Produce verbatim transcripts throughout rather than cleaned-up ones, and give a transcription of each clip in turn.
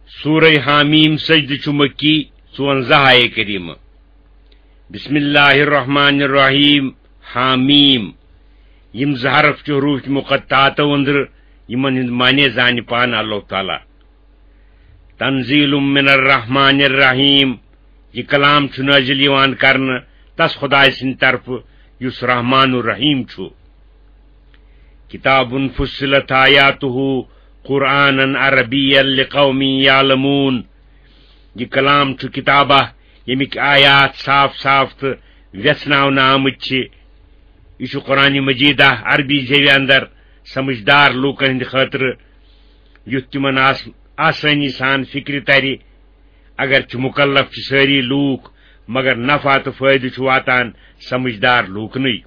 سورہ حامیم سجدٕ چھُ مکی، ژُوَنزاہ آیے کریمہ۔ بسم اللہ الرحمن الرحیم۔ حامیم۔ یِم زٕ حرف چھِ حروف مقطعاتو أنٛدرٕ، یِمن ہُنٛد معنی زانہِ پانہٕ اللہ تعالیٰ۔ تنزیل من الرحمن الرحیم۔ یہِ کلام چھُ نازل یِوان کرنہٕ تس خدایہِ سٕنٛدِ طرفہٕ یُس رحمان الرحیم چھُ۔ کتاب فصلت آیاتہ قرآنا عربیا لقوم یعلمون۔ یہِ کلام چھُ کتابہ، ییٚمِکۍ آیات صاف صاف تہٕ ویژھناونہٕ آمٕتۍ چھِ۔ یہِ چھُ قرآن مجیدہ، عربی زیوِ اندر، سمجھدار لوٗکن ہٕنٛدِ خٲطرٕ، یُتھ تِمن آس-، آسٲنی سان فکرِ ترِ۔ اگرچہِ مکلف چھِ سٲری لوٗکھ، مگر نفع تہٕ فٲیدٕ چھُ واتان سمجھدار لوٗکنٕے۔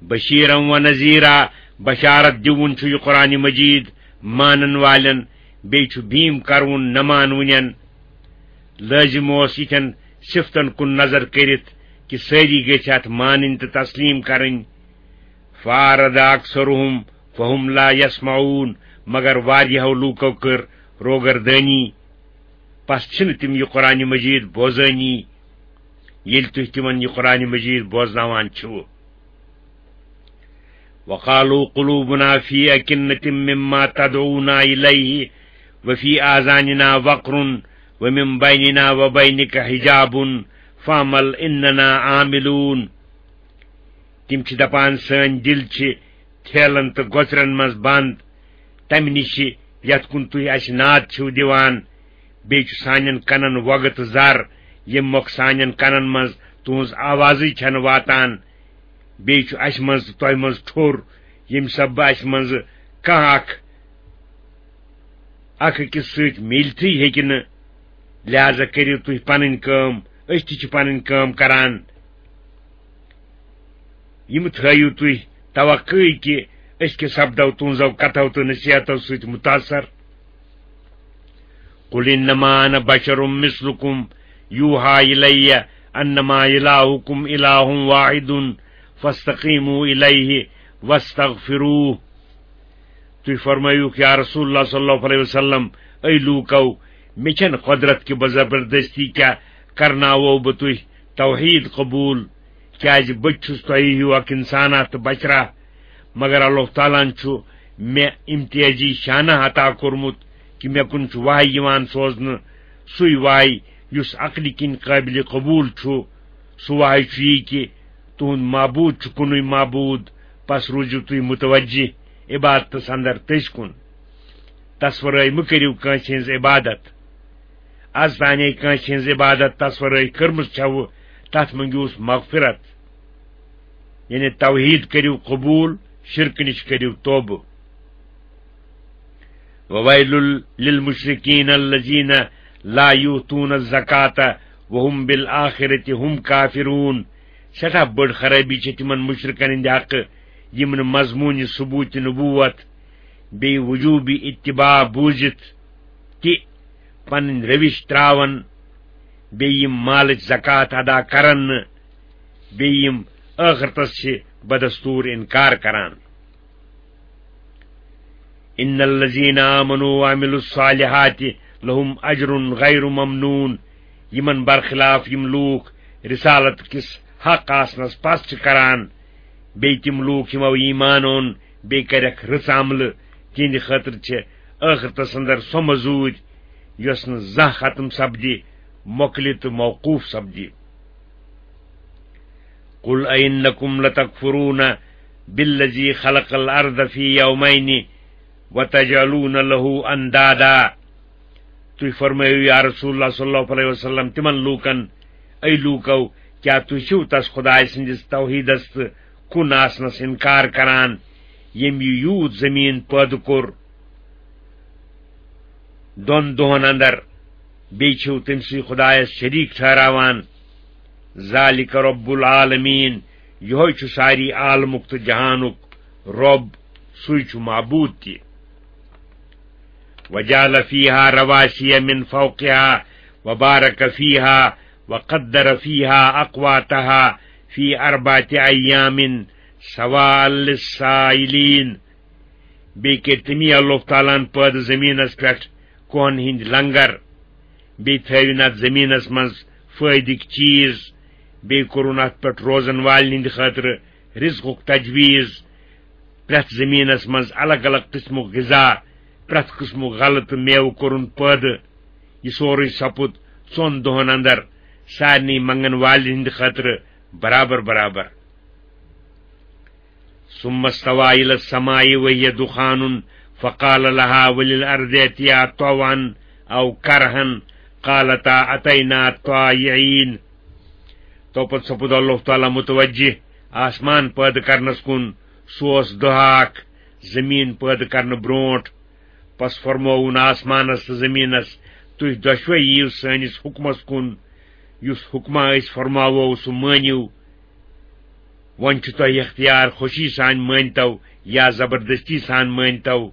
بشیرا و نذیرا، بشارت دِوُن چھُ یہِ قرآن مجید مانن والٮ۪ن، بیٚیہِ چھُ بیٖم کرٕوُن نہ مانوٕنٮ۪ن۔ لٲزِم اوس یِتھٮ۪ن صفتن کُن نظر کٔرِتھ کہِ سٲری گٔژھۍ اتھ مانٕنۍ تہٕ تسلیٖم کرٕنۍ۔ فاعرض اکثرهم فهم لا يسمعون، مگر واریاہو لوٗکو کٔر روگردٲنی، پس چھِنہٕ تِم یہِ قرآن مجید بوزٲنی، ییٚلہِ تُہۍ تِمن یہِ قرآن مجید بوزناوان چھِو۔ وقالوا قلوبنا في أكنة مما تدعونا إليه وفي آذاننا وقر ومن بيننا وبينك حجاب فاعمل إننا عاملون۔ تِم چھِ دپان، سٲنۍ دِل چھِ تھیلن تہٕ گۄژرن منٛز بند، تمہِ نِشہِ یتھ کُن تُہۍ اسہِ ناد چھِو دِوان۔ بیٚیہِ چھُ سانٮ۪ن کنن وۄگہٕ تہٕ زر، ییٚمہِ مۄکھٕ سانٮ۪ن کنن منٛز تُہنٛز آوازٕے چھنہٕ واتان۔ بیٚیہِ چھُ اسہِ منٛز تہٕ تۄہہِ منٛز ٹھوٚر، ییٚمہِ سببہٕ اسہِ منٛز کانٛہہ اکھ، اکھ أکِس سۭتۍ میٖلتھٕے ہیٚکہِ نہٕ۔ لہذا کٔرِو تُہۍ پنٕنۍ کٲم، أسۍ تہِ چھِ پنٕنۍ کٲم کران۔ یِم تھٲیِو تُہۍ توقعٕے کہِ أسۍ کہِ سپدو تُہنٛزو کتھو تہٕ نصیحتو سۭتۍ متاثر۔ قل انما انا بشر مثلكم يوحى الي انما الهكم اله واحد فاستقيموا اليه واستغفروه۔ تُہۍ فرمٲیِو، یا رسول اللہ صلی اللہ علیہ وسلم، اے لوٗکو، مےٚ چھَنہٕ قۄدرت کہِ بہٕ زبردستی کیٛاہ کرناوو بہٕ تُہۍ توحید قبول، کیٛازِ بہٕ تہِ چھُس تۄہہِ ہیوٗ اکھ انسانہ تہٕ بشرہ، مگر اللہ تعالیٰ ہن چھُ مےٚ امتیازی شانہ عطا کوٚرمُت کہِ مےٚ کُن چھُ وحی یِوان سوزنہٕ، سُے وحی یُس عقلہِ کِنۍ قٲبلِ قبول چھُ۔ سُہ وحی چھُ یی کہِ تُہُنٛد معبوٗد چھُ کُنُے معبوٗد، پس روٗزِو تُہۍ متوجہ عبادتس اندر تٔسۍ کُن۔ تصورٲے مہٕ کٔرِو کٲنٛسہِ ہٕنٛز عبادت۔ از تانے کٲنٛسہِ ہٕنٛز عبادت تصورٲے کٔرمٕژ چھَوٕ، تتھ مٔنگِوس مغفرت۔ یعنی توحید کٔرِو قبول، شرکہٕ نِش کٔرِو توبہٕ۔ وویل للمشرکین الذین لا یؤتون الزکاة وهم بالآخرة هم کافرون۔ سٮ۪ٹھاہ بٔڑ خرٲبی چھِ تِمن مشرکن ہٕنٛدِ حقہٕ، یِم نہٕ مضموٗنِ ثبوٗتِ نبوت بیٚیہِ وجوٗبِ اتباع بوٗزِتھ تہِ پنٕنۍ روش تراون، بیٚیہِ یِم مالٕچ زکوٰۃ ادا کرن نہٕ، بیٚیہِ یِم ٲخرتس چھِ بدستور انکار کران۔ ان الذین آمنوا وعملوا الصالحات لهم اجر غیر ممنون۔ یِمن برخلاف یِم لوٗکھ رسالت کِس حق آسنس پس چھِ کران، بیٚیہِ تِم لوٗکھ یِمو ایمان اوٚن، بیٚیہِ کَرٮ۪کھ رٕژ عملہٕ، تِہنٛدِ خٲطرٕ چھِ ٲخرتس اندر سۄ مزوٗرۍ، یۄس نہٕ زانٛہہ ختم سپدِ، مۄکلہِ تہٕ موقوف سپدِ۔ قل أئنكم لتكفرون بالذي خلق الأرض في يومين وتجعلون له أندادا۔ تُہۍ فرمٲیِو، یا رسول اللہ صلی اللہ علیہ وسلم، تِمن لوٗکن، اے لوٗکو، کیٛاہ تُہۍ چھِو تس خدایہِ سٕنٛدِس توحیٖدس تہٕ کُن آسنس انکار کران، ییٚمۍ یہِ یوٗت زٔمیٖن پٲدٕ کوٚر دۄن دۄہن اندر، بیٚیہِ چھِو تٔمۍ سٕے خدایس شریٖک ٹھہراوان؟ ذالک رب العالمین، یِہوٚے چھُ ساری عالمُک تہٕ جہانُک رب، سُے چھُ معبوٗد تہِ۔ وجعل فيها رواسي من فوقها وبارك فيها وقدر فيها أقواتها في أربعة أيام سواء للسائلين۔ بیٚیہِ کٔرۍ تٔمی اللہ تعالیٰ ہن پٲدٕ زٔمیٖنس پٮ۪ٹھ کوہن ہٕنٛدۍ لنگر، بیٚیہِ تھٲوِن اتھ زٔمیٖنس منٛز فٲیدٕکۍ چیٖز، بیٚیہِ کوٚرُن اتھ پٮ۪ٹھ روزن والٮ۪ن ہٕنٛدِ خٲطرٕ رزقُک تجویٖز، پرٛٮ۪تھ زٔمیٖنس منٛز الگ الگ قٕسمُک غذا، پرٛٮ۪تھ قٕسمُک غلہٕ تہٕ مٮ۪وٕ کوٚرُن پٲدٕ۔ یہِ سورُے سپُد ژۄن دۄہن اندر سارنٕے منگن والٮ۪ن ہٕنٛدِ خٲطرٕ برابر برابر۔ ثم استوى إلى السماء وهي دخان فقال لها وللأرض ائتيا طوعا أو كرها قالتا أتينا طائعين۔ تو پتہٕ سپُد اللہ تعالیٰ متوجہ آسمان پٲدٕ کرنس کُن۔ سُہ اوس دۄہ اکھ زٔمیٖن پٲدٕ کرنہٕ برونٛٹھ۔ پس فرمووُن آسمانس تہٕ زٔمیٖنس، "تُہۍ دۄشوے یِیِو سٲنِس حُکمس کُن، یُس حُکما أسۍ فرماوو، سُہ مٲنِو۔ وۄنۍ چھُ تۄہہِ اختیار، خوشی سان مٲنۍتو یا زبردستی سان مٲنۍتو۔"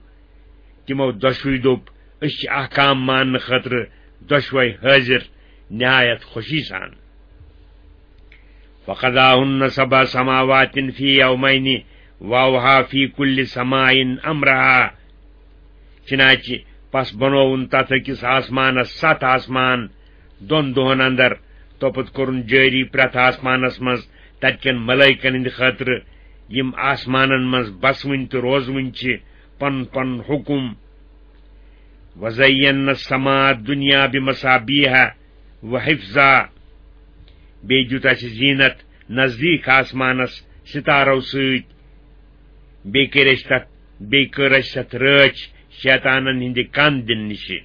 تِمو دۄشوٕے دوٚپ، "أسۍ چھِ احکام ماننہٕ خٲطرٕ دۄشوے حٲضِر، نہایت خوشی سان۔" فقضاهن سبع سماوات في يومين وأوحى في كل سماء أمرها۔ چنانچہ پس بنووُن تتھ أکِس آسمانس ستھ آسمان دۄن دۄہن اندر، توپت کوٚرُن جٲری پرٛٮ۪تھ آسمانس منٛز تتہِ کٮ۪ن ملائکن ہٕنٛدِ خٲطرٕ، یِم آسمانن منٛز بسوٕنۍ تہٕ روزوٕنۍ چھِ، پنُن پنُن حُکم۔ وزینا السماء الدنيا بمصابيح وحفظا۔ بیٚیہِ دیُت اَسہِ زیٖنت نزدیٖک آسمانس ستارو سۭتۍ۔ بیٚیہِ کٔرۍ اَسہِ تَتھ، بیٚیہِ کٔر اَسہِ تَتھ رٲچھ شیطانن ہٕنٛدِ کن دِنہٕ نِشہِ۔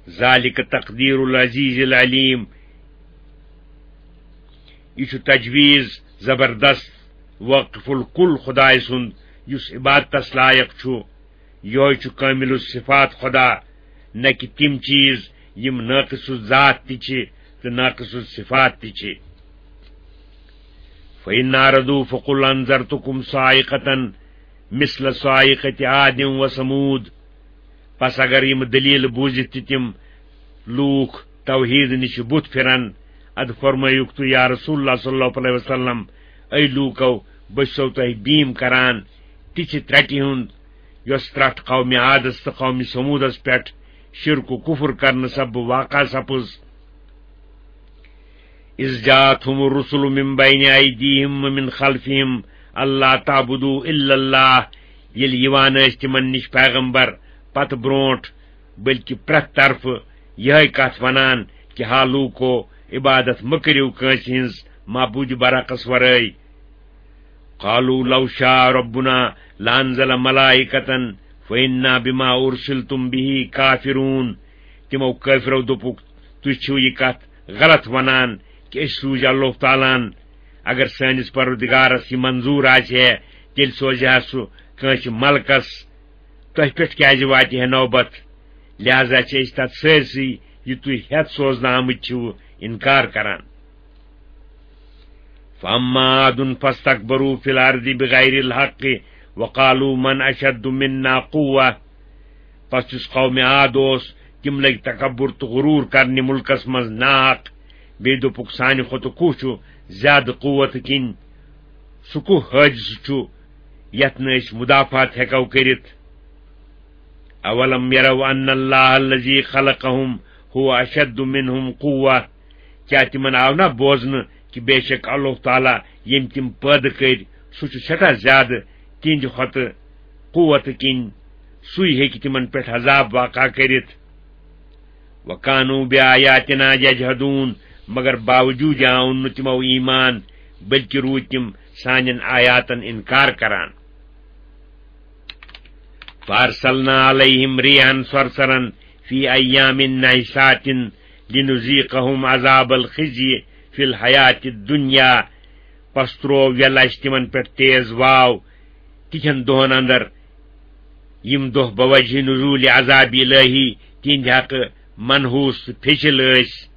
ذلك تقدير العزيز العليم۔ یہِ چھُ تجویٖز زبردست واقف الکل خدایہِ سُنٛد، یُس عبادتس لایق چھُ۔ یہوے چھُ کامل الصفات خدا، نہ کہ تِم چیٖز یِم ناقص الذات تہِ چھِ تہٕ ناقص الصفات تہِ چھِ۔ فإن أعرضوا فقل أنذرتكم صاعقة مثل صاعقة عاد وثمود۔ پس اگر یِم دلیل بوٗزِتھ تہِ تِم لوٗکھ توحید نِش بُتھ پھِرن، ادٕ فرمٲیِکھ تُہۍ یا رسول اللہ صلی اللہ علیہ وسلم، اے لوٗکو، بہٕ چھُسو تۄہہِ بیٖم کران تِژھِ ترٛٹہِ ہُنٛد، یۄس ترٛٹھ قومِ عادس تہٕ قومِ ثمودس پٮ۪ٹھ شرک و کفر کرنہٕ سببہٕ واقع سپٕز۔ إذ جاءتهم الرسل من بين أيديهم ومن خلفهم ألا تعبدوا إلا الله۔ ییٚلہِ یِوان ٲسۍ تِمن نِش پیغمبر پتہٕ برونٛٹھ، بلکہ پرٛٮ۪تھ طرفہٕ یِہے کتھ ونان کہ ہا لوٗکو، عبادت مہ کٔرِو کٲنٛسہِ ہٕنٛز معبوٗدِ برحقس ورٲے۔ قالوا لو شاء ربنا لأنزل ملائكة فإنا بما أرسلتم به كافرون۔ تِمو کٲفرو دوٚپُکھ، "تُہۍ چھِو یہِ کتھ غلط ونان کہ أسۍ سوٗزۍ اللہ تعالیٰ ہن۔ اگر سٲنِس پروردگارس یہِ منظوٗر آسہِ ہے، تیٚلہِ سوزِ ہا سُہ کٲنٛسہِ ملکس۔ تۄہہِ پٮ۪ٹھ کیازِ واتہِ ہے نوبت؟ لہذا چھِ أسۍ تتھ سٲرسٕے، یہِ تُہۍ ہٮ۪تھ سوزنہٕ آمٕتۍ چھِو، انکار کران۔" فأما عاد فاستكبروا في الأرض بغير الحق وقالوا من أشد منا قوة۔ پس یُس قومِ عاد اوس، تِم لٔگۍ تکبر تہٕ غرور کرنہِ مُلکس منٛز ناحق۔ بیٚیہِ دوٚپُکھ، "سانہِ کھۄتہٕ کُس چھُ زیادٕ قوت کِنۍ؟ سُہ کُس حٲدثہٕ چھُ یتھ نہٕ أسۍ مدافعت ہٮ۪کو کٔرِتھ؟" أولم يروا أن الله الذي خلقهم هو أشد منهم قوة۔ کیٛاہ تِمن آو نہ بوزنہٕ کہِ بے شک اللہ تعالیٰ، ییٚمۍ تِم پٲدٕ کٔرۍ، سُہ چھُ سٮ۪ٹھاہ زیادٕ تِہنٛدِ کھۄتہٕ قوت کِنۍ، سُے ہیٚکہِ تِمن پٮ۪ٹھ عذاب واقع کٔرِتھ؟ وَكَانُوا بِآيَاتِنَا يَجْحَدُونَ۔ مگر باوجوٗد آو نہٕ تِمو ایمان، بلکہِ روٗدۍ تِم سانٮ۪ن آیاتن انکار کران۔ فَأَرْسَلْنَا عَلَيْهِمْ رِيحًا صَرْصَرًا فِي أَيَّامٍ نَحِسَاتٍ لِنُذِيقَهُمْ عَذَابَ الْخِزْيِ فِي الْحَيَاةِ الدُّنْيَا۔ پس تروو یلہ اسہِ تِمن پٮ۪ٹھ تیز واو تِتھٮ۪ن دۄہن اندر، یِم دۄہ بوجہ نزول عذاب الہی تِہنٛدِ حقہٕ منحوس تہٕ پھیٚچِل ٲسۍ،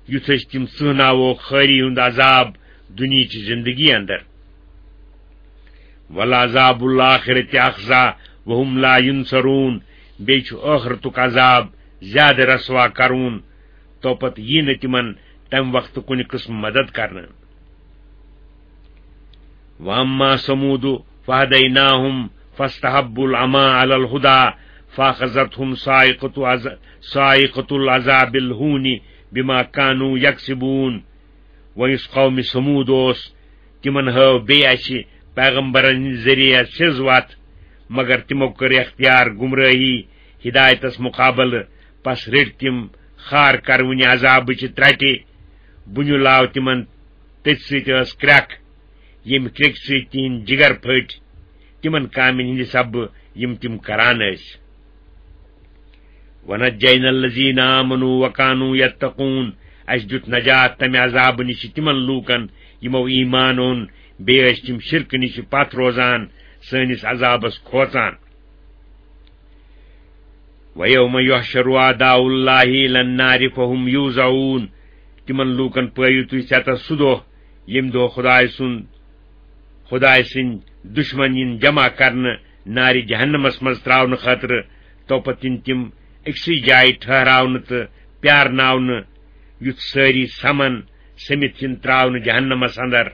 یُتھ أسۍ تِم ژٕہناووکھ خٲری ہُنٛد عذاب دُنیہچہِ زندگی اندر۔ وَلَعَذَابُ الْآخِرَةِ أَخْزَىٰ وَهُمْ لَا يُنصَرُونَ۔ بیٚیہِ چھُ ٲخرتُک عذاب زیادٕ رسوا کرون، توپتہٕ یی نہٕ تِمن تمہِ وقتہٕ کُنہِ قٕسمہٕ مدد کرنہٕ۔ وَأَمَّا ثَمُودُ فَهَدَيْنَاهُمْ فَاسْتَحَبُّوا الْعَمَىٰ عَلَى الْهُدَىٰ فأخذتهم صاعقة عذ-، صاعقة العذاب الهون بما كانوا يكسبون۔ وۄنۍ یُس قومِ ثمود اوس، تِمن ہٲو بیٚیہِ اَسہِ پیغمبرن ہٕنٛدِ ذٔریعہٕ سیٚز وَتھ، مگر تِمو کٔر اختیار گمرٲہی ہدایتس مقابلہٕ۔ پس رٔٹۍ تِم خار کروٕنہِ عذابٕچہِ ترٛٹہِ۔ بُنیُل آو تِمن تٔتھۍ سۭتۍ ٲس کرٛٮ۪کھ، ییٚمہِ کرٛیٚکہِ سۭتۍ تِہنٛدۍ جگر پھٔٹۍ، تِمن کامٮ۪ن ہٕنٛدِ سببہٕ یِم تِم کران ٲسۍ۔ وَنَجَّيْنَا الَّذِينَ آمَنُوا وَكَانُوا يَتَّقُونَ۔ اَسہِ دیُت نجات تَمہِ عذابہٕ نِش تِمن لوٗکن، یِمو ایمان اوٚن، بیٚیہِ ٲسۍ تِم شرکہٕ نِش پتھ روزان، سٲنِس عذابس کھوژان۔ وَيَوْمَ يُحْشَرُ أَعْدَاءُ اللَّهِ إِلَى النَّارِ فَهُمْ يُوزَعُونَ۔ تِمن لوٗکن پٲوِو تُہۍ ژٮ۪تس سُہ دۄہ، ییٚمہِ دۄہ خدایہِ سُنٛد، خدایہِ سٕنٛدۍ دُشمن یِن جمع کرنہٕ نارِ جہنمس منٛز تراونہٕ خٲطرٕ۔ توپتہٕ یِن تِم أکسٕے جایہِ ٹھہراونہٕ تہٕ پیارناونہٕ، یُتھ سٲری سمن، سٔمِتھ یِن تراونہٕ جہنمس اندر۔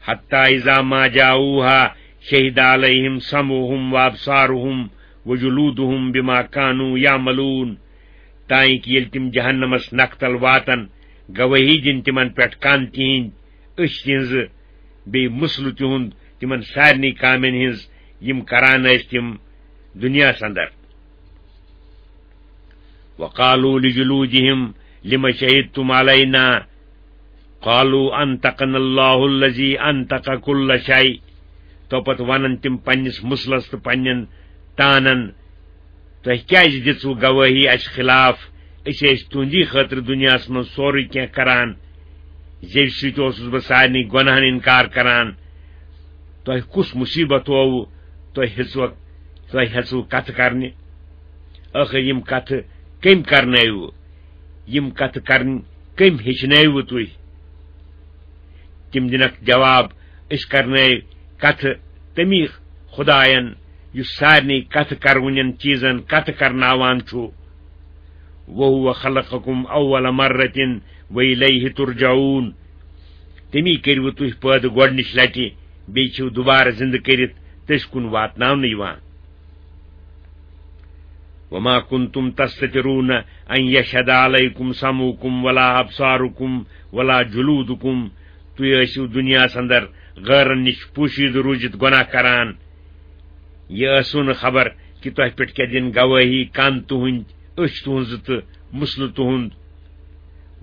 حتى إذا ما جاءوها شهد عليهم سمعهم وأبصارهم وجلودهم بما كانوا يعملون۔ تانۍ کہِ ییٚلہِ تِم جہنمس نکھ تل واتن، گوٲہی دِن تِمن پٮ۪ٹھ کن تِہنٛدۍ، أچھ تِہنٛزٕ، بیٚیہِ مسلہٕ تِہُنٛد تِمن سارنٕے کامٮ۪ن ہٕنٛز، یِم کران ٲسۍ تِم دُنیاہس اندر۔ وقالوا لجلودهم لم شهدتم علينا؟ قالوا أنطقنا الله الذي أنطق كل شيء۔ تو پتہٕ ونن تِم پننِس مسلس تہٕ پننٮ۪ن تانن، تۄہہِ کیازِ دِژوٕ گوٲہی اسہِ خلاف؟ أسۍ ٲسۍ تُہنٛدی خٲطرٕ دُنیاہس منٛز سورُے کینٛہہ کران، زیوِ سۭتۍ اوسُس بہٕ سارنٕے گۄناہن انکار کران۔ تۄہہِ کُس مصیبت ہووٕ؟ تۄہہِ ہیژوٕ، تۄہہِ ہیژوٕ کتھٕ کرنہِ؟ ٲخر یِم کتھٕ کٔمۍ کرنٲوٕ؟ یِم کتھٕ کرنۍ کٔمۍ ہیٚچھنٲوٕ تُہۍ؟ تِم دِنکھ جواب، أسۍ کرنٲوۍ کتھٕ تمی خداین، یُس سارنٕے کتھٕ کرونٮ۪ن چیٖزن کتھٕ کرناوان چھُ۔ وَهُوَ خَلَقَكُمْ أَوَّلَ مَرَّةٍ وَإِلَيْهِ تُرْجَعُونَ۔ تمی کٔرِوٕ تُہۍ پٲدٕ گۄڈنِچ لٹہِ، بیٚیہِ چھِو دُبارٕ زِندٕ کٔرِتھ تٔسۍ کُن واتناونہٕ یِوان۔ وَمَا كُنْتُمْ تَسْتَتِرُونَ أَنْ يَشْهَدَ عَلَيْكُمْ سَمْعُكُمْ وَلَا أَبْصَارُكُمْ وَلَا جُلُودُكُمْ۔ تُہۍ ٲسِو دُنیاہَس اندر غٲرن نِش پوشیدٕ روٗزِتھ گۄناہ کران۔ یہِ ٲسوٕ نہٕ خبر کہِ تۄہہِ پٮ۪ٹھ کیٛاہ دِن گوٲہی کن تُہٕنٛدۍ، أچھ تُہٕنٛزٕ تہٕ مسلہٕ تُہُنٛد۔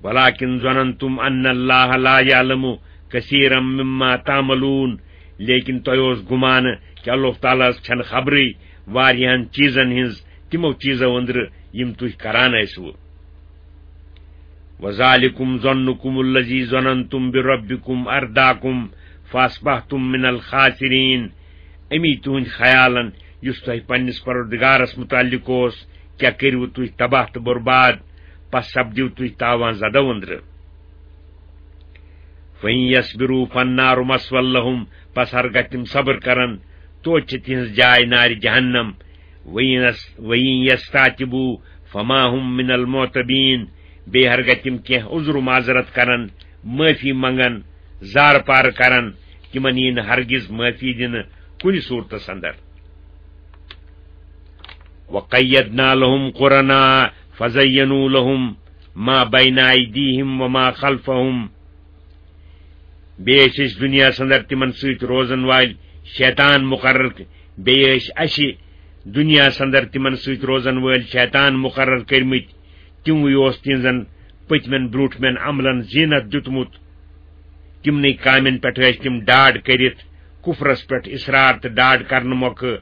وَلَٰكِنْ ظَنَنْتُمْ أَنَّ اللَّهَ لَا يَعْلَمُ كَثِيرًا مِمَّا تَعْمَلُونَ۔ لیکن تۄہہِ اوس گُمانہٕ کہِ اللہ تعالیٰ ہَس چھَنہٕ خبرٕے واریاہَن چیٖزَن ہٕنٛز، تِمو چیٖزو أنٛدرٕ یِم تُہۍ کران ٲسِوٕ۔ وَذَٰلِكُمْ ظَنُّكُمُ الَّذِي ظَنَنْتُمْ بِرَبِّكُمْ أَرْدَاكُمْ فَأَصْبَحْتُمْ مِنَ الْخَاسِرِينَ۔ اَمی تُہُنٛدۍ خیالن یُس تۄہہِ پننِس پروردگارس مُتعلق اوس، کیٛاہ کٔرِوٕ تُہۍ تباہ تہٕ برباد، پس سپدِو تُہۍ تاوان زدو أنٛدرٕ۔ فَإِنْ يَصْبِرُوا فَالنَّارُ مَثْوًى لَهُمْ۔ پس ہرگاہ تِم صبر کرن، توتہِ چھِ تِہنٛز جاے نارِ جہنم۔ وَإِنْ يَسْ-، وَإِنْ يَسْتَعْتِبُوا فَمَا هُمْ مِنَ الْمُعْتَبِينَ۔ بیٚیہِ ہرگاہ تِم کینٛہہ عذر و معذرت کرن، معٲفی منگن، زارٕ پارٕ کرن، تِمن یی نہٕ ہرگز معٲفی دِنہٕ کُنہِ صوٗرتس اندر۔ وَقَيَّضْنَا لَهُمْ قُرَنَاءَ فَزَيَّنُوا لَهُمْ مَا بَيْنَ أَيْدِيهِمْ وَمَا خَلْفَهُمْ۔ بیٚیہِ ٲسۍ أسۍ دُنیاہَس اندر تِمن سۭتۍ روزن وٲلۍ شیطان مُقرر، بیٚیہِ ٲسۍ اَسہِ دُنیاہَس اندر تِمن سۭتۍ روزن وٲلۍ شیطان مُقرر کٔرمٕتۍ۔ تِموٕے اوس تِہنٛزن پٔتمٮ۪ن برٛونٛٹھمٮ۪ن عملن زیٖنت دیُتمُت۔ تِمنٕے کامٮ۪ن پٮ۪ٹھ ٲسۍ تِم ڈاڈ کٔرِتھ، کُفرس پٮ۪ٹھ اصرار تہٕ ڈاڈ کرنہٕ مۄکھٕ۔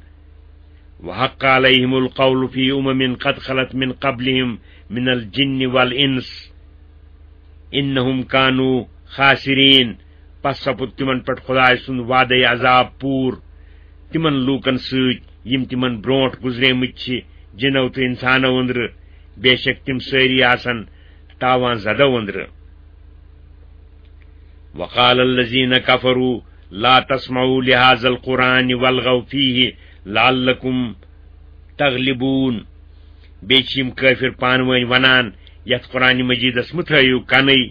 وَحَقَّ عَلَيْهِمُ الْقَوْلُ فِي أُمَمٍ قَدْ خَلَتْ مِنْ قَبْلِهِمْ مِنَ الْجِنِّ وَالْإِنْسِ إِنَّهُمْ كَانُوا خَاسِرِينَ۔ پس سپُد تِمن پٮ۪ٹھ خدایہِ سُنٛد وعدے عذاب پوٗرٕ تِمن لوٗکن سۭتۍ، یِم تِمن برٛونٛٹھ گُزریمٕتۍ چھِ، جِنو تہٕ اِنسانو أنٛدرٕ۔ بے شک تِم سٲری آسن تاوان زدو أنٛدرٕ۔ وَقَالَ الَّذِينَ كَفَرُوا لَا تَسْمَعُوا لِهَٰذَا الْقُرْآنِ وَالْغَوْا فِيهِ لَعَلَّكُمْ تَغْلِبُونَ۔ بیٚیہِ چھِ یِم کٲفِر پانہٕ وٲنۍ وَنان، یَتھ قرآنِ مجیٖدَس مہٕ تھٲیِو کَنٕے،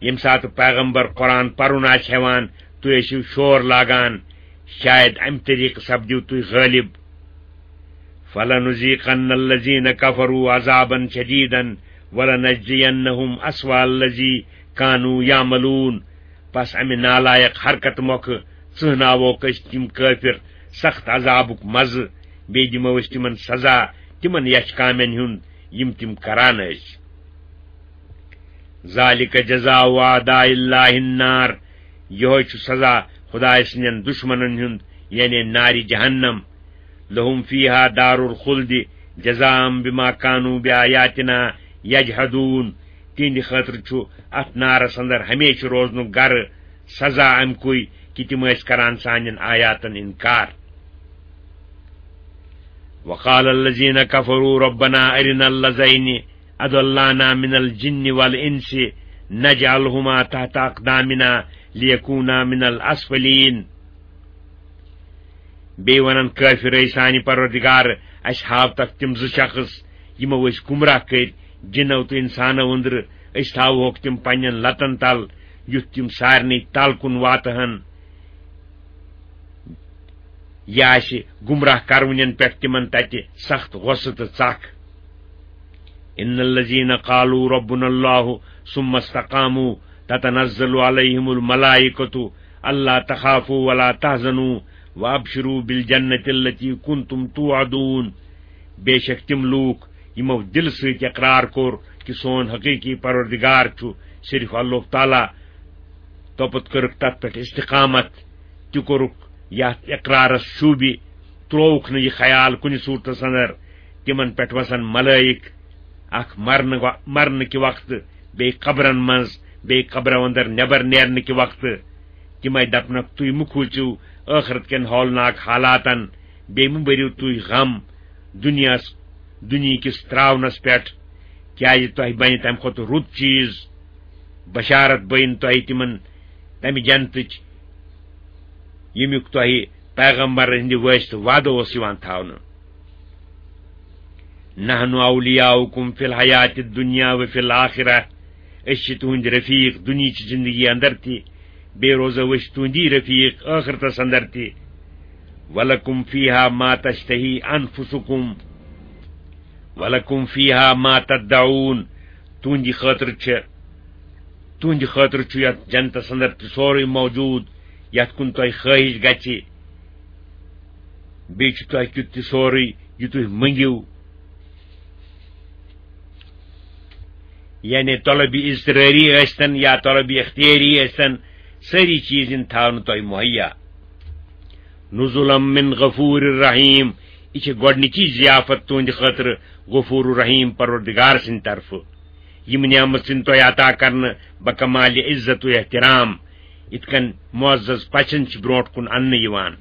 ییٚمہِ ساتہٕ پیغمبر قرآن پَرُن آسہِ ہٮ۪وان، تُہۍ ٲسِو شور لاگان، شاید اَمہِ طریٖقہٕ سَپدِو تُہۍ غٲلِب۔ فلنذیقن الذین کفروا عذابا شدیدا ولنجزینہم اسوأ الذی کانوا یعملون۔ پس امہِ نالائق حرکت مۄکھٕ ژٕہناووکھ أسۍ تِم کٲفِر سخت عذابُک مزٕ، بیٚیہِ دِمو أسۍ تِمن سزا تِمن یچھ کامٮ۪ن ہُنٛد یِم تِم کران ٲسۍ۔ ذالک جزاء اعداء اللہ النار، یہوے چھُ سزا خدائے سٕنٛدٮ۪ن دشمنن ہُنٛد، یعنی نارِ جہنم۔ لہم فیہا دار الخلد جزاء بما کانوا بآیاتنا یجحدون، تِہنٛدِ خٲطرٕ چھُ اتھ نارس اندر ہمیشہٕ روزنُک گرٕ سزا امہِ کُے کہِ تِم ٲسۍ کران سانٮ۪ن آیاتن انکار۔ وقال الذین کفروا ربنا ارنا الذین اضلانا من الجن والانس نجعلهما تحت اقدامنا لیکونا من الاسفلین۔ بیٚیہِ ونان کٲفِر، اے سانہِ پروردگار، اسہِ ہاو تتھ تِم زٕ شخص، یِمو أسۍ گمراہ کٔرۍ جنو تہٕ انسانو أنٛدرٕ، أسۍ تھاوہوکھ تِم پننٮ۪ن لتن تل، یُتھ تِم سارنٕے تل کُن واتہٕ ہن۔ یہِ آسہِ گمراہ کرونٮ۪ن پٮ۪ٹھ تِمن تتہِ سخت غصہٕ تہٕ ژکھ۔ ان الذین قالوا ربنا اللہ ثم استقاموا تتنزل علیہم الملائکۃ الا تخافوا ولا تحزنوا وابشروا بالجنۃ التی کنتم توعدون۔ بے شک تِم لوٗکھ یِمو دِلہٕ سۭتۍ اقرار کوٚر کہِ سون حقیقی پروردگار چھُ صرف اللہ تعالیٰ، توٚپتہٕ کٔرٕکھ تتھ پٮ۪ٹھ استقامت، تہِ کوٚرُکھ یتھ اقرارس شوٗبہِ، ترٛووُکھ نہٕ یہِ خیال کُنہِ صوٗرتس اندر۔ تِمن پٮ۪ٹھ وسن ملائک، اکھ مرنہٕ و-، مرنہٕ کہِ وقتہٕ، بیٚیہِ قبرن منٛز، بیٚیہِ قبرو اندر نٮ۪بر نیرنہٕ کہِ وقتہٕ۔ تِمے دپنکھ، تُہۍ مہٕ کھوٗژِو ٲخرت کٮ۪ن ہولناک حالاتن، بیٚیہِ مہٕ بٔرِو تُہۍ غم دُنیاہس، دُنیہکِس تراونس پٮ۪ٹھ، کیازِ تۄہہِ بنہِ تمہِ کھۄتہٕ رُت چیز۔ بشارت بٔنۍ تۄہہِ تِمن تمہِ جنتٕچ، ییٚمیُک تۄہہِ پیغمبر ہٕنٛدِ وٲسطہٕ وعدٕ اوس یِوان تھاونہٕ۔ نحن اولیاؤکم فی الحیات الدنیا و فی الآخرہ، أسۍ چھِ تُہٕنٛدۍ رفیق دُنیہٕچ زندگی اندر تہِ، بیٚیہِ روزو أسۍ تُہٕنٛدی رفیق ٲخرتس اندر تہِ۔ ولکم فیہا ما تشتہی انفسکم ولکم فیہا ما تدعون، تُہٕنٛدِ خٲطرٕ چھِ، تُہٕنٛدِ خٲطرٕ چھُ یتھ جنتس اندر تہِ سورُے موجود، یتھ کُن تۄہہِ خٲہِش گژھِ۔ بیٚیہِ چھُ تۄہہِ کیُتھ تہِ سورُے، یہِ تُہۍ مٔنگِو۔ یعنی طلبِ اضطراری ٲسۍتن یا طلبِ اختیاری ٲسۍتن، سٲری چیٖز یِن تھاونہٕ تۄہہِ مہیا۔ نزلا من غفور رحیم، یہِ چھِ گۄڈٕنِچی ضیافت تُہٕنٛدِ خٲطرٕ غفور رحیم پروردگار سٕنٛدِ طرفہٕ۔ یِم نعمت یِن تۄہہِ عطا کرنہٕ بکمال عزت و احترام، یِتھ کٔنۍ معزز پژھن چھِ برونٛٹھ کُن اننہٕ یِوان۔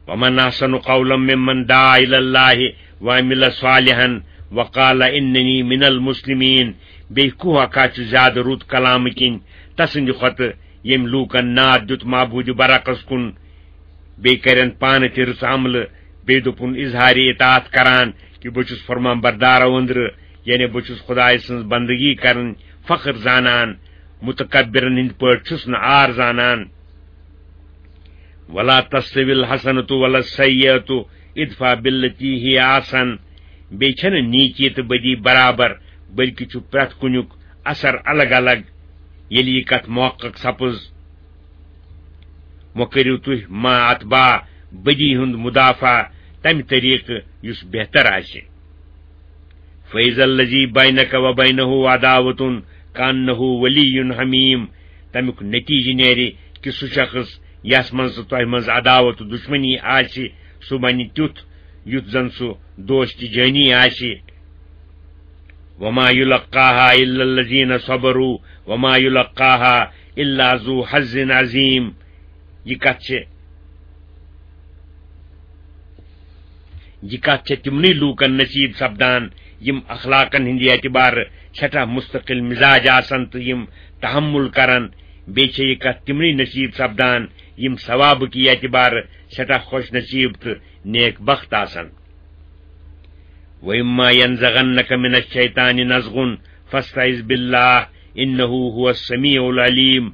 ومن احسن قولا ممن دعا الی اللہ وعمل صالحا وقال اننی من المسلمین۔ بیٚیہِ کُہہ اکھا چھُ زیادٕ رُت کلامہٕ کِنۍ تسٕنٛدِ کھۄتہٕ، ییٚمۍ لوٗکن ناد دیُت معبوٗدِ برحقس کُن، بیٚیہِ کرن پانہٕ تہِ رٕژ عملہٕ، بیٚیہِ دوٚپُن اظہارِ اطاعت کران کہِ بہٕ چھُس فرمان بردارو أنٛدرٕ، یعنی بہٕ چھُس خدایہِ سٕنٛز بندگی کرٕنۍ فخر زانان، متکبرن ہٕنٛدۍ پٲٹھۍ چھُس نہٕ عار زانان۔ ولا تستوی الحسنۃ ولا السیئۃ ادفع بالتی ہی احسن۔ بیٚیہِ چھنہٕ نیکی تہٕ بدی برابر، بلکہِ چھُ پرٛٮ۪تھ کُنیُک اثر الگ الگ۔ ییٚلہِ یہِ کتھ محقق سپٕز، وۄنۍ کٔرِو تُہۍ ما اتباع بدی ہُنٛد مدافعہ تمہِ طریقہٕ یُس بہتر آسہِ۔ فیض الذی بینک و بینہ عداوۃ کانہ ولی حمیم۔ تمیُک نتیجہ نیرِ کہِ سُہ شخص یس منٛز تۄہہِ منٛز عداوت و دشمنی آسہِ، سُہ بنہِ تیُتھ یُتھ زن سُہ دوست جٲنی آسہِ۔ وما یلقاها الا الذین صبروا وما یلقاها الا ذو حظ عظیم۔ یہِ کتھ چھِ، یہِ کتھ چھِ تِمنٕے لوٗکن نصیب سپدان، یِم اخلاقن ہٕنٛدِ اعتبارٕ سٮ۪ٹھاہ مستقل مزاج آسن تہٕ یِم تحمل کرن۔ بیٚیہِ چھِ یہِ کتھ تِمنٕے نصیب سپدان، یِم ثوابہٕ کہِ اعتبارٕ سٮ۪ٹھاہ خوش نصیب تہٕ نیک بخت آسن۔ وَإِمَّا يَنزَغَنَّكَ مِنَ الشَّيْطَانِ نَزْغٌ فَاسْتَعِذْ بِاللَّهِ إِنَّهُ هُوَ السَّمِيعُ الْعَلِيمُ۔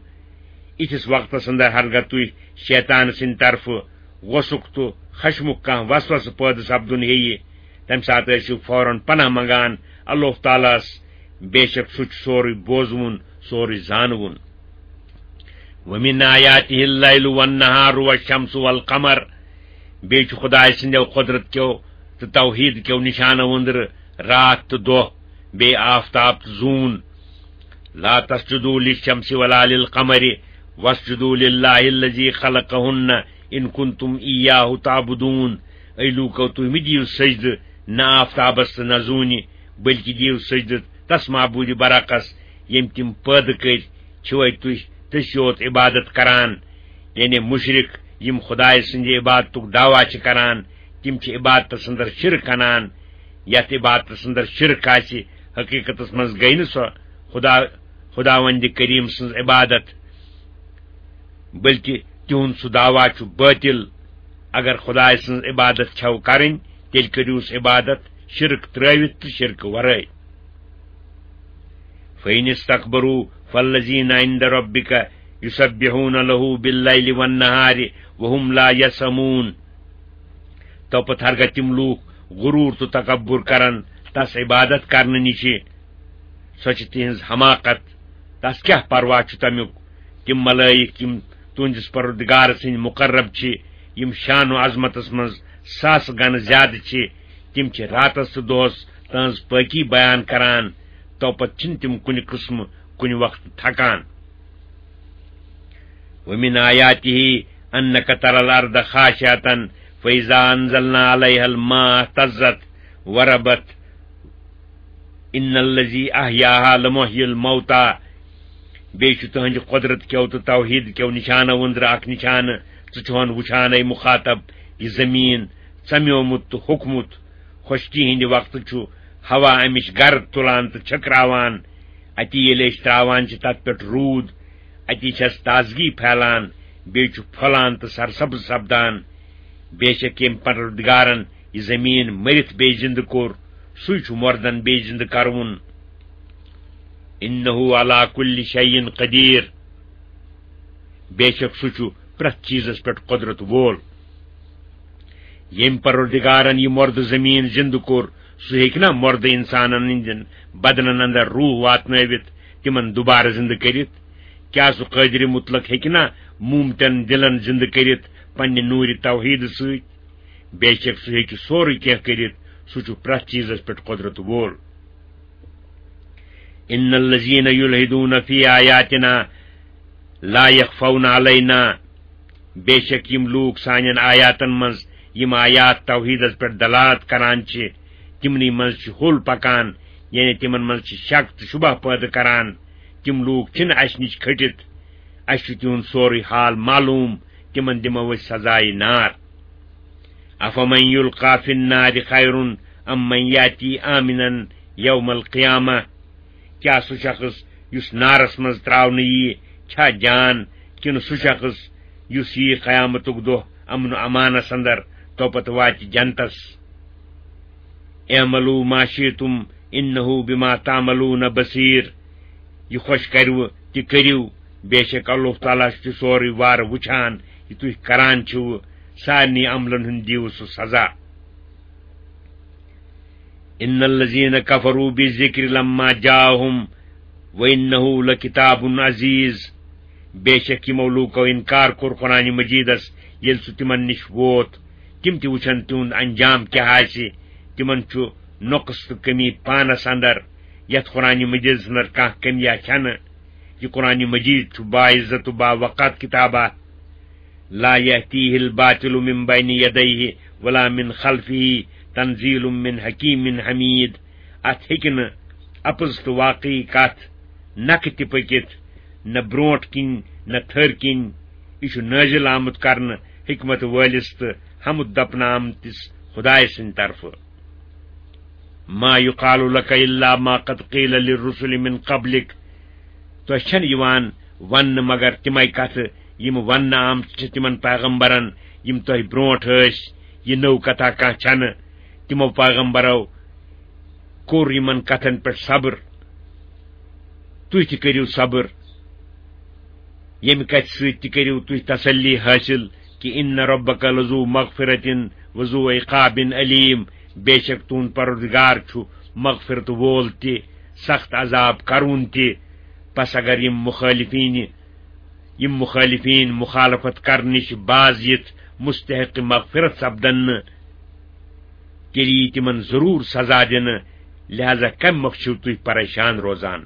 یِتھِس وقتس اندر ہرگاہ تُہۍ شیطان سٕنٛدِ طرفہٕ غۄصُک تہٕ خشمُک کانٛہہ وسوسہٕ پٲدٕ سپدُن ہیٚیہِ، تَمہِ ساتہٕ ٲسِو فوراً پناہ منٛگان اللہ تعالیٰ ہَس، بے شک سُہ چھُ سورُے بوزوُن، سورُے زانوُن۔ وَمِنْ آيَاتِهِ اللَّيْلُ وَالنَّهَارُ وَالشَّمْسُ وَالْقَمَرُ، بیٚیہِ چھُ خۄداے سٕنٛدیو قۄدرت کیو تہٕ توحیٖد کیو نِشانو أنٛدرٕ راتھ تہٕ دۄہ، بیٚیہِ آفتاب تہٕ زوٗن۔ لا تسجدوا للشمس ولا للقمر واسجدوا لله الذي خلقهن إن كنتم إياه تعبدون۔ اے لوٗکو، تُہۍ مہٕ دِیِو سجدٕ نہ آفتابس تہٕ نہ زوٗنہِ، بلکہِ دِیِو سجدٕ تس معبوٗدِ برحقس، ییٚمۍ تِم پٲدٕ کٔرۍ۔ چھِوَے تُہۍ تٔسۍ یوت عبادت کران؟ یعنی مُشرِک، یِم خۄداے سٕنٛدِ عبادتُک دعویٰ چھِ کران، تِم چھِ عبادتس اندر شرک انان۔ یتھ عبادتس اندر شرک آسہِ، حقیقتس منٛز گٔے نہٕ سۄ خدا، خداوند کریم سٕنٛز عبادت، بلکہ تِہُنٛد سُہ دعویٰ چھُ باطل۔ اگر خداے سٕنٛز عبادت چھو کرٕنۍ، تیٚلہِ کٔرِوس عبادت شرک ترٲوِتھ تہٕ شرکہٕ ورٲے۔ فَإِنِ اسْتَكْبَرُوا فَالَّذِينَ عِندَ رَبِّكَ يُسَبِّحُونَ لَهُ بِاللَّيْلِ وَالنَّهَارِ وَهُمْ لَا يَسْأَمُونَ۔ تو پتہٕ ہرگاہ تِم لوٗکھ غروٗر تہٕ تکبر کرن تس عبادت کرنہٕ نِشہِ، سۄ چھِ تِہنٛز حماقت۔ تس کیٛاہ پرواہ چھُ تمیُک؟ تِم ملائک، یِم تُہنٛدِس پروردگار سٕنٛدۍ مقرب چھِ، یِم شان و عظمتس منٛز ساسہٕ گنہٕ زیادٕ چھِ، تِم چھِ راتس تہٕ دۄہس تہنٛز پٲکی بیان کران، تو پتہٕ چھِنہٕ تِم کُنہِ قٕسمہٕ کُنہِ وقتہٕ تھکان۔ وَمِنْ آيَاتِهِ أَنَّكَ تَرَى الْأَرْضَ خَاشِعَةً فَإِذَا أَنْزَلْنَا عَلَيْهَا الْمَاءَ اهْتَزَّتْ وَرَبَتْ إِنَّ الَّذِي أَحْيَاهَا لَمُحْيِي الْمَوْتَى۔ بیٚیہِ چھُ تُہنٛدِ قۄدرت کیو تہٕ توحیٖد کیو نِشانو أنٛدرٕ اکھ نِشانہٕ، ژٕ چھُہن وُچھان، اے مُخاطب، یہِ زٔمیٖن ژمیومُت تہٕ ہوٚکھمُت۔ خۄشکی ہٕنٛدِ وقتہٕ چھُ ہوا امِچ گرد تُلان تہٕ چھٔکراوان۔ اتی ییٚلہِ أسۍ تراوان چھِ تتھ پٮ۪ٹھ روٗد، اتی چھس تازگی پھیلان، بیٚیہِ چھُ پھۄلان تہٕ سرسبز سپدان۔ بے شک ییٚمۍ پروردگارن یہِ زٔمیٖن مٔرِتھ بیٚیہِ زِندٕ کوٚر، سُے چھُ مردن بیٚیہِ زِندٕ کرون۔ إِنَّهُ عَلَى كُلِّ شَيْءٍ قَدِيرٌ۔ بے شک سُہ چھُ پرٛٮ۪تھ چیٖزس پٮ۪ٹھ قۄدرت وول۔ ییٚمۍ پروردگارن یہِ مۄردٕ زٔمیٖن زِندٕ کوٚر، سُہ ہیٚکہِ نا مۄردٕ اِنسانن ہٕنٛدٮ۪ن بدنن اندر روح واتنٲوِتھ، تِمن دوبارٕ زِندٕ کٔرِتھ؟ کیٛاہ سُہ قٲدرِ مطلق ہیٚکہِ نا موٗمتن دِلن زِندٕ کٔرِتھ پننہِ نوٗرِ توحیٖدٕ سۭتۍ؟ بے شک سُہ ہیٚکہِ سورُے کینٛہہ کٔرِتھ، سُہ چھُ پرٛٮ۪تھ چیٖزس پٮ۪ٹھ قۄدرت وول۔ إِنَّ الَّذِينَ يُلْحِدُونَ فِي آيَاتِنَا لَا يَخْفَوْنَ عَلَيْنَا۔ بے شک یِم لوٗکھ سانٮ۪ن آیاتن منٛز، یِم آیات توحیٖدس پٮ۪ٹھ دلالت کران چھِ، تِمنٕے منٛز چھِ ہوٚل پکان، یعنی تِمن منٛز چھِ شک تہٕ شبہ پٲدٕ کران۔ تِم لوٗکھ چھِنہٕ اسہِ نِش کھٔٹِتھ، اسہِ چھُ تِہُنٛد سورُے حال معلوٗم، تِمن دِمو أسۍ سزایہِ نار۔ أَفَمَنْ يُلْقَى فِي النَّارِ خَيْرٌ أَمْ مَنْ يَأْتِي آمِنًا يَوْمَ الْقِيَامَةِ؟ کیٛاہ سُہ شخص یُس نارس منٛز تراونہٕ ییہِ چھا جان، کِنہٕ سُہ شخص یُس ییہِ قیامتُک دۄہ امن و امانس اندر، تو پتہٕ واتہِ جنتس؟ اعملوا ما شئتم إنه بما تعملون بصير۔ یہِ خۄش کروٕ تہِ کٔرِو، بے شک اللہ تعالیٰ چھُ سورُے وارٕ وٕچھان، یہِ تُہۍ کران چھِو، سارنٕے عملن ہُنٛد دِیِو سُہ سزا۔ إِنَّ الَّذِينَ كَفَرُوا بِالذِّكْرِ لَمَّا جَاءَهُمْ وَإِنَّهُ لَكِتَابٌ عَزِيزٌ۔ بے شک یِمو لوٗکو اِنکار کوٚر قرآنِ مجیٖدس، ییٚلہِ سُہ تِمن نِش ووت۔ تِم تہِ وٕچھن تِہُنٛد انجام کیٛاہ آسہِ۔ تِمن چھُ نۄقص تہٕ کٔمی پانس اندر، یتھ قرآنِ مجیٖدس اندر کانٛہہ کٔمیا چھنہٕ۔ یہِ قرآنِ مجیٖد چھُ باعزت و باوقار کتابہ۔ لا يأتيه الباطل من بين يديه ولا من خلفه تنزيل من حكيم حميد۔ اتھ ہیٚکہِ نہٕ اپُز تہٕ واقعی کتھ نکھٕ تہِ پٔکِتھ، نہ برونٛٹھ کِنۍ نہ تھٔر کِنۍ۔ یہِ چھُ نٲزِل آمُت کرنہٕ حکمت وٲلِس تہٕ حمد دپنہٕ آمتِس خدایہِ سٕنٛدِ طرفہٕ۔ ما يقال لك إلا ما قد قيل للرسل من قبلك۔ تۄہہِ چھَنہٕ یِوان وننہٕ مگر تِمے کتھٕ یِم وننہٕ آمژٕ چھِ تِمن پیغمبرن یِم تۄہہِ برونٛٹھ ٲسۍ۔ یہِ نٔو کتھا کانٛہہ چھَنہٕ۔ تِمو پیغمبرو کوٚر یِمن کتھن پٮ۪ٹھ صبر۔ تُہۍ تہِ کٔرِو صبر۔ ییٚمہِ کتھِ سۭتۍ تہِ کٔرِو تُہۍ تسلی حٲصِل۔ کہِ ان ربک لذو مغفرۃ وذو عقاب علیم، بے شک تُہُنٛد پروردگار چھُ مغفرت وول تہِ، سخت عذاب کرون تہِ۔ پس اگر یِم مخالفین، یِم مخالفین مخالفت کرنٕچ باز یِتھ مستحق مغفرت سپدن نہٕ، تیٚلہِ یی تِمن ضروٗر سزا دِنہٕ، لہذا کمہِ مۄکھٕ چھِو تُہۍ پریشان روزان؟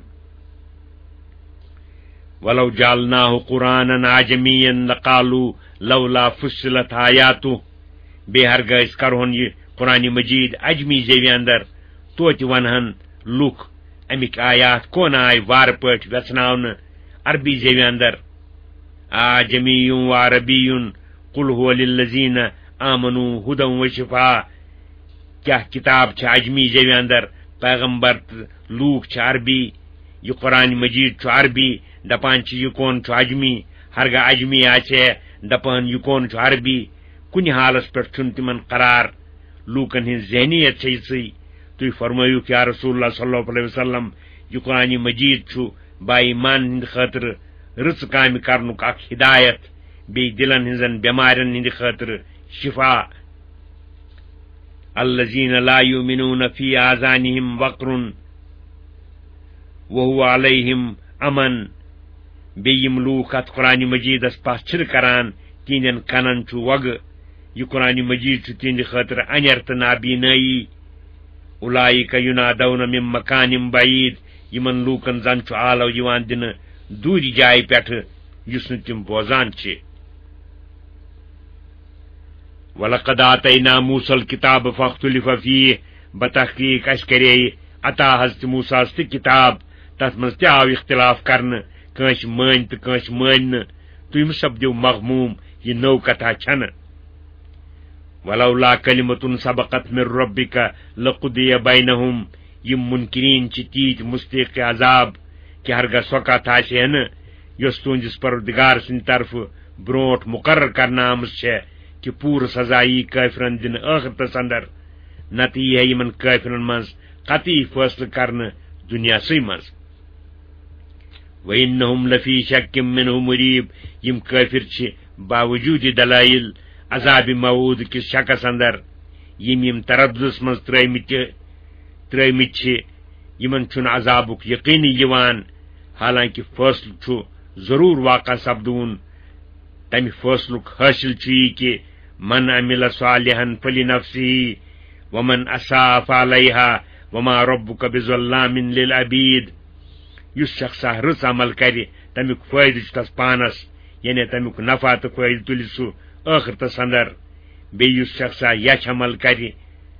ولو جعلناه قرآنا عجميا لقالوا لولا فصلت آياته۔ بیٚیہِ ہرگاہ أسۍ کرہون یہِ قرآن مجید عجمی زیوِ اندر، توتہِ ونہن لُکھ، امِکۍ آیات کون آے وارٕ پٲٹھۍ ویژھناونہٕ عربی زیوِ اندر؟ آ جمی و عربی، قل هو للذین آمنوا هدى وشفاء۔ کیٛاہ کتاب چھِ عجمی زیوِ اندر؟ پیغمبر تہٕ لوٗکھ چھِ عربی، یہِ قرآن مجید چھُ عربی، دپان چھِ یہِ کون چھُ عجمی؟ ہرگاہ عجمی آسہِ ہے، دپان یہِ کون چھُ عربی۔ کُنہِ حالس پٮ۪ٹھ چھُنہٕ تِمن قرار۔ لوٗکن ہٕنٛز ذہنیت چھےٚ یِژٕے۔ تُہۍ فرمٲیِو یا رسول اللہ صلی اللہ علیہ وسلم، یہِ قرآن مجید چھُ با ایمان ہٕنٛدِ خٲطرٕ رٕژٕ کامہِ کرنُک اکھ ہدایت، بیٚیہِ دِلن ہٕنٛزن بٮ۪مارٮ۪ن ہٕنٛدِ خٲطرٕ شفا۔ الذين لا يؤمنون في آذانهم وقر وهو عليهم عمى۔ بیٚیہِ یِم لوٗکھ اتھ قرآن مجیدس پتھ چھِنہٕ کران، تِہنٛدٮ۪ن کنن چھُ وۄگہٕ۔ یہِ قرآن مجید چھُ تِہنٛدِ خٲطرٕ انٮ۪ر تہٕ نابینٲیی۔ اولئک ینادون من مکان بعید، یِمن لوٗکن زن چھُ آلو یِوان دِنہٕ دوٗرِ جایہِ پٮ۪ٹھٕ، یُس نہٕ تِم بوزان چھِ۔ ولقد آتینا موسی الکتاب فاختلف فیہ، بتحقیق اسہِ کرے عطا حضرت موسیٰ ہس تہِ کتاب، تتھ منٛز تہِ آو اختلاف کرنہٕ، کٲنٛسہِ مٲنۍ تہٕ کٲنٛسہِ مٲنۍ نہٕ۔ تُہۍ مہٕ سپدِو مغموم، یہِ نٔو کتھا چھنہٕ۔ ولولا کلمة سبقت من ربک لقضی بینہم، یِم منکرین چھِ تیٖتۍ مستحق عذاب کہِ ہرگاہ سۄ کتھ آسہِ ہے نہٕ یۄس تُہنٛدِس پروردگار سٕنٛدِ طرفہٕ برونٹھ مقرر کرنہٕ آمٕژ چھےٚ، کہِ پوٗرٕ سزا یی کٲفرن دِنہٕ ٲخرتس اندر، نتہٕ یی ہے یِمن کٲفرن منٛز قطعی فٲصلہٕ کرنہٕ دُنیاہسٕے منٛز۔ وَإِنَّهُمْ لَفِي شَكٍّ مِّنْهُ مُرِيبٍ، یِم کٲفر چھِ باوجود دلائل عذاب موعود کِس شکس اندر، یِم یِم ترددس منٛز ترٲومٕتۍ ترٲومٕتۍ چھِ، یِمن چھُنہٕ عذابُک یقینٕے یِوان، حالانکہ فٲصلہٕ چھُ ضروٗر واقع سپدوُن۔ تمہِ فٲصلُک حٲصِل چھُ یہِ کہِ من عمل صالحا فلنفسه ومن اساء فعليها وما ربك بظلام للعبيد۔ یُس شخصا رٕژ عمل کرِ، تمیُک فٲیدٕ چھُ تس پانس، یعنی تمیُک نفع تہٕ فٲیدٕ تُلہِ سُہ ٲخرتس اندر۔ بیٚیہِ یُس شخصا یچھ عمل کرِ،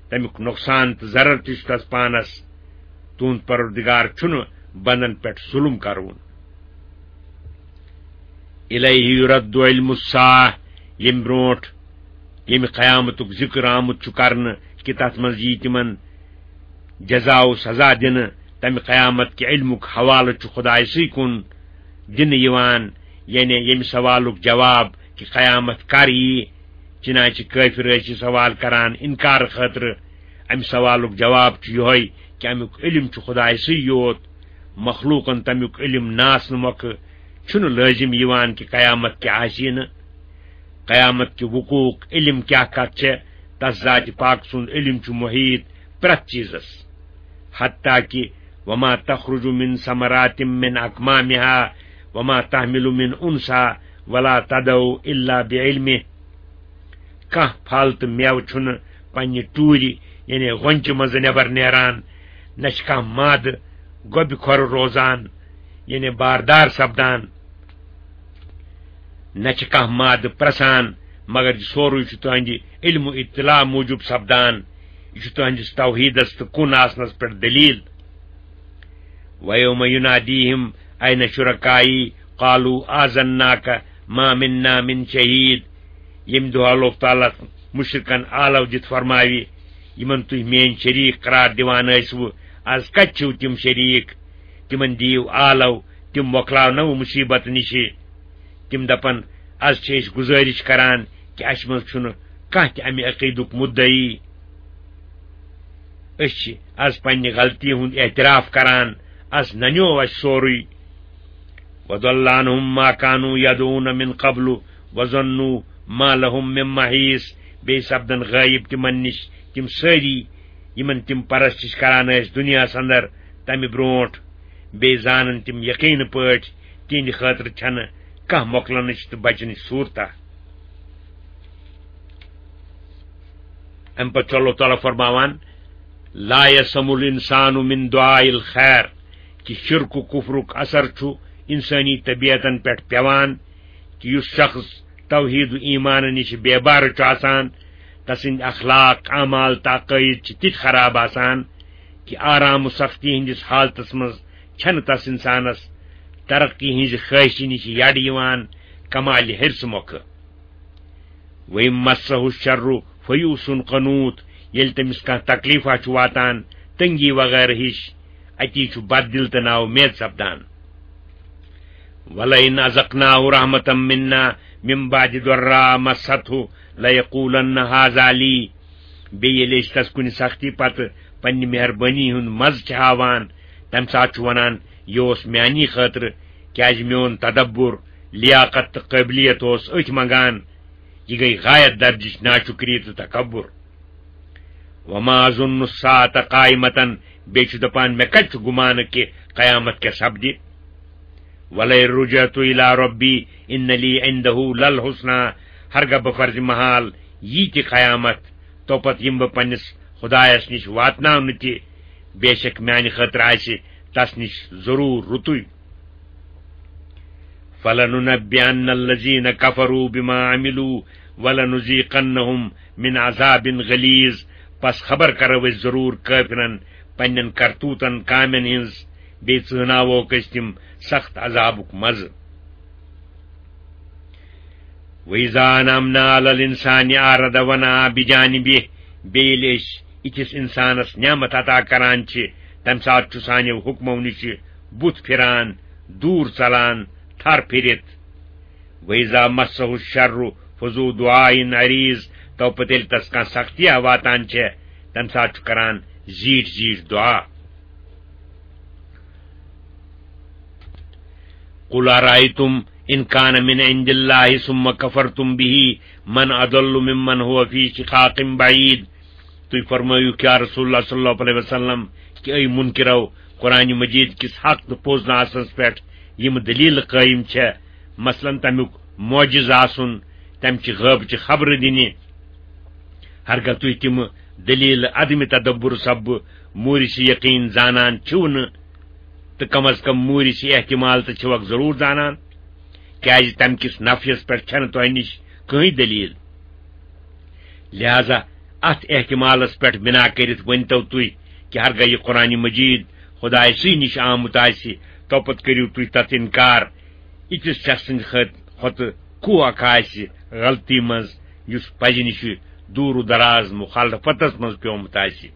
تمیُک نۄقصان تہٕ ضرر تہِ چھُ تس پانس۔ تُہُنٛد پروردگار چھُنہٕ بندن پٮ۪ٹھ ظلم کرون۔ الیہ یرد علم الساعہ، ییٚمہِ برونٹھ ییٚمہِ قیامتُک ذکر آمُت چھُ کرنہٕ کہِ تتھ منٛز یی تِمن جزا و سزا دِنہٕ، تمہِ قیامت کہِ علمُک حوالہٕ چھُ خدایہِ سٕے کُن دِنہٕ یِوان، یعنی ییٚمہِ سوالُک جواب کہِ قیامت کر یی، چنانچہ کٲفر ٲسۍ یہِ سوال کران انکار خٲطرٕ۔ امہِ سوالُک جواب چھُ یِہوٚے کہِ امیُک علم چھُ خدایہِ سٕے یوت، مخلوقن تمیُک علم نہٕ آسنہٕ مۄکھٕ چھُنہٕ لٲزم یِوان کہِ قیامت کیٛاہ آسہِ نہٕ۔ قیامت کہِ وقوعُک علم کیٛاہ کتھ چھےٚ، تس ذاتِ پاک سُنٛد علم چھُ محیط پرٛٮ۪تھ چیزس۔ حتیٰ کہ وما تخرج من ثمرات من اکمامها وما تحمل من انثى ولا تضع الا بعلمه۔ کانٛہہ پھل تہٕ مٮ۪وٕ چھُنہٕ پننہِ ٹوٗرِ، یعنی غۄنچہِ منٛزٕ نٮ۪بر نیران، نہ چھِ کانٛہہ مادٕ گۄبہِ کھۄرٕ روزان، یعنی باردار سپدان، نہ چھِ کانٛہہ مادٕ پرٛسان، مگر یہِ سورُے چھُ تُہنٛدِ علم و اطلاع موٗجوٗب سپدان۔ یہِ چھُ تُہنٛدِس توحیٖدس تہٕ کُن آسنس پٮ۪ٹھ دٔلیٖل۔ وَيَوْمَ يُنَادِيهِمْ أَيْنَ شُرَكَائِي قَالُوا آذَنَّاكَ مَا مِنَّا مِنْ شَهِيدٍ۔ ییٚمہِ دۄہ اللہ تعالیٰ مُشرِکن آلو دِتھ فرماوِ، یِمن تُہۍ میٲنۍ شریٖک قرار دِوان ٲسوٕ، از کتہِ چھِو تِم شریٖک؟ تِمن دِیِو آلو، تِم مۄکلاونو مُصیٖبت نِشہِ۔ تِم دپن، از چھِ أسۍ گُزٲرِش کران کہِ اسہِ منٛز چھُنہٕ کانٛہہ تہِ امہِ عقیٖدُک مُدعی۔ أسۍ چھِ از پننہِ غلطی ہُنٛد اعتراف کران، از ننیو اسہِ سورُے۔ وَضَلَّ عَنْهُمْ مَا كَانُوا يَدْعُونَ مِنْ قَبْلُ وَظَنُّوا ما لهم من محیص، بیٚیہِ سپدن غٲیب تِمن نِش تِم سٲری یِمن تِم پرستش کران ٲسۍ دُنیاہس اندر تمہِ برونٹھ، بیٚیہِ زانن تِم یقینہٕ پٲٹھۍ تِہنٛدِ خٲطرٕ چھنہٕ کانٛہہ مۄکلنٕچ تہٕ بچنٕچ صورتہ۔ امہِ پتہٕ چھُ اللہ تعالیٰ فرماوان، لا یسم الانسان من دعاء الخیر، کہِ شرک و کفرُک اثر چھُ انسٲنی طبیعتن پٮ۪ٹھ پٮ۪وان، کہِ یُس شخص توحید و ایمان نِش بے بار چھُ آسان، تسٕنٛدۍ اخلاق، اعمال تہٕ عقائد چھِ تِتھۍ خراب آسان کہِ آرام و سختی ہٕنٛدِس حالتس منٛز چھنہٕ تس انسانس ترقی ہٕنٛزِ خواہشہِ نِش یڈ یِوان، کمالہِ حرصہٕ مۄکھٕ۔ وَإِن مَسَّهُ الشَّرُّ فَيَئُوسٌ قَنُوطٌ، ییٚلہِ تٔمِس کانٛہہ تکلیفہ چھُ واتان، تنگی وغیرہ ہِش، اتی چھُ بد دل تہٕ نااُمید سپدان۔ وَلَئِنْ أَذَقْنَاهُ رَحْمَةً مِنَّا مِنْ بَعْدِ ضَرَّاءَ مَسَّتْهُ لَيَقُولَنَّ هَذَا لِي۔ بیٚیہِ ییٚلہِ أسۍ تس کُنہِ سختی پتہٕ پننہِ مہربٲنی ہُنٛد مزٕ چھِ ہاوان، تمہِ ساتہٕ چھُ ونان، یہِ اوس میانی خٲطرٕ، کیازِ میون تدبر، لیاقت تہٕ قٲبلیت اوس أتھۍ منگان۔ یہِ گٔیہِ غایت درجٕچ ناشکری تہٕ تکبر۔ وما اظن الساعة قائمة، بیٚیہِ چھُ دپان، مےٚ کتہِ چھُ گُمانہٕ کہِ قیامت کیٛاہ سپدِ؟ ولئن رجعت الى ربی ان لی عنده للحسنى، ہرگاہ بہٕ فرضِ محال یی تہِ قیامت، توپتہٕ یِمہٕ بہٕ پننِس خدایس نِش واتناونہٕ تہِ، بے شک میانہِ خٲطرٕ آسہِ تس نِش ضروٗر رُتُے۔ فَلَنُنَبِّئَنَّ الَّذِينَ كَفَرُوا بِمَا عَمِلُوا وَلَنُذِيقَنَّهُم مِّنْ عَذَابٍ غَلِيظٍ۔ پس خبر کرو أسۍ ضروٗر کٲفرن پننٮ۪ن کرتوٗتن کامٮ۪ن ہٕنٛز، بیٚیہِ ژٕہناووکھ أسۍ تِم سخت عذابُک مزٕ۔ وَإِذَا أَنْعَمْنَا عَلَى الْإِنسَانِ أَعْرَضَ وَنَأَى بِجَانِبِهِ، بیٚیہِ ییٚلہِ أسۍ یِتھِس اِنسانس نعمت عطا کران چھِ، تمہِ ساتہٕ چھُ سانیو حُکمو نِشہِ بُتھ پھِران، دوٗر ژلان، تھر پھِرِتھ۔ وَإِذَا مَسَّهُ الشَّرُّ فَذُو دُعَاءٍ عَرِيضٍ، تو پتہٕ ییٚلہِ تس کانٛہہ سختیا واتان چھےٚ، تمہِ ساتہٕ چھُ کران زیٖٹھۍ زیٖٹھۍ دُعا۔ قُلْ أَرَأَيْتُمْ إِنْ كَانَ مِنْ عِنْدِ اللَّهِ ثُمَّ كَفَرْتُمْ بِهِ مَنْ أَضَلُّ مِمَّنْ هُوَ فِي شِقَاقٍ بَعِيدٍ۔ تُہۍ فرمٲیِو، یا رسول اللہ صلی اللہ علیہ وسلم، کہ اے مُنکِرو قرآن مجید کِس حق تہٕ پوٚز نہٕ آسنس پٮ۪ٹھ یِم دٔلیٖلہٕ قٲیِم چھےٚ، مثلاً تَمیُک معجز آسُن، تَمہِ چہِ غٲبچہِ خبرٕ دِنہِ، ہرگاہ تُہۍ تِم دٔلیٖلہٕ عدمِ تدبر سببہٕ موٗرِثِ یقیٖن زانان چھِو نہٕ، تہٕ کم از کم موٗرِثِ احتمال تہٕ چھِوکھ ضروٗر زانان، کیازِ تَمہِ کِس نفیَس پٮ۪ٹھ چھَنہٕ تۄہہِ نِش کٕہٕنۍ دٔلیٖل۔ لہذا اتھ احتمالس پٮ۪ٹھ بنا کٔرِتھ ؤنۍتو تُہۍ کہ ہرگاہ یہِ قرآن مجید خدایہِ سٕے نِش آمُت آسہِ، تو پتہٕ کٔرِو تُہۍ تتھ انکار۔ یِتھِس شخص سٕنٛدِ خٲط-، کھۄتہٕ کُو اکھ آسہِ غلطی منٛز، یُس پزِ نِش دوٗر و دراز مخالفتس منٛز پیومُت آسہِ۔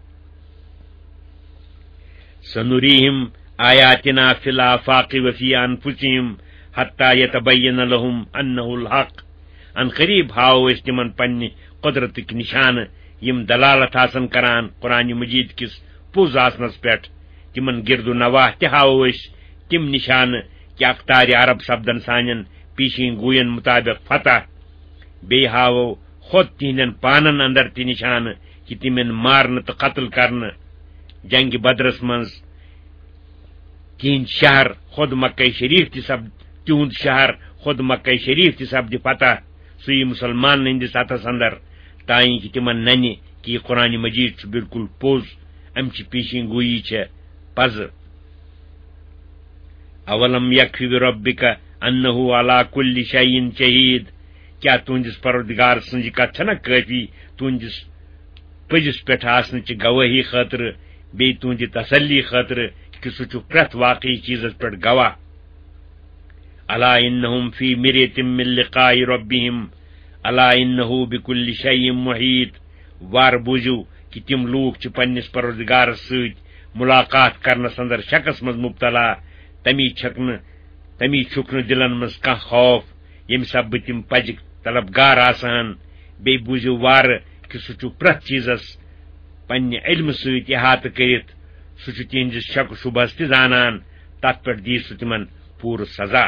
سنریہم آیاتنا فی الآفاق وفی انفسہم حتی یتبین لہم انہ الحق۔ ان قریب ہاوو أسۍ تِمن پننہِ قدرتٕکۍ نشانہٕ، یِم دلالت آسن کران قرآن مجید کِس پوٚز آسنس پٮ۪ٹھ۔ تِمن گرد و نواح تہِ ہاوو أسۍ تِم نشانہٕ، کہِ اقتارِ عرب سپدن سانٮ۪ن پیشین گوین مطابق فتح۔ بیٚیہِ ہاوو خود تِہنٛدٮ۪ن پانن اندر تہِ نشانہٕ، کہِ تِم یِن مارنہٕ تہٕ قتل کرنہٕ۔ جنگِ بدرس منٛز تِہنٛدۍ شہر خود مکہ شریف تہِ سپد-، تِہُنٛد شہر خود مکہ شریف تہِ سپدِ فتح، سُہ یی مسلمانن ہٕنٛدِس اتھس اندر، تانۍ کہِ تِمن ننہِ کہِ یہِ قرآن مجید چھُ بالکل پوٚز، امہِ چہِ پیشین گویی چھےٚ پزٕ۔ اولم یکفی بربک انہ علی کل شیء شہید، کیا تُہنٛدِس پروردگار سٕنٛز یہِ کتھ چھنہ کٲفی تُہنٛدِس پٔزِس پٮ۪ٹھ آسنہٕ چہِ گوٲہی خٲطرٕ، بیٚیہِ تُہنٛدِ تسلی خٲطرٕ کہِ سُہ چھُ پرٛٮ۪تھ واقعی چیٖزس پٮ۪ٹھ گواہ؟ الا انہم فی مریۃ من لقاء ربہم، الا انہ بکل شیء محیط۔ وار بوٗزِو کہِ تِم لوٗکھ چھِ پننِس پروردگارس سۭتۍ ملاقات کرنس اندر شکس منٛز مبتلا، تمی چھکھ نہٕ، تمی چھُکھ نہٕ دِلن منٛز کانٛہہ خوف، ییٚمہِ سببہٕ تِم پزِکۍ طلبگار آسہٕ ہن۔ بیٚیہِ بوٗزِو وارٕ کہِ سُہ چھُ پرٛٮ۪تھ چیٖزس پننہِ علمہٕ سۭتۍ احاطہٕ کٔرِتھ، سُہ چھُ تِہنٛدِس شک و شبہس تہِ زانان، تتھ پٮ۪ٹھ دِیہِ سُہ تِمن پوٗرٕ سزا۔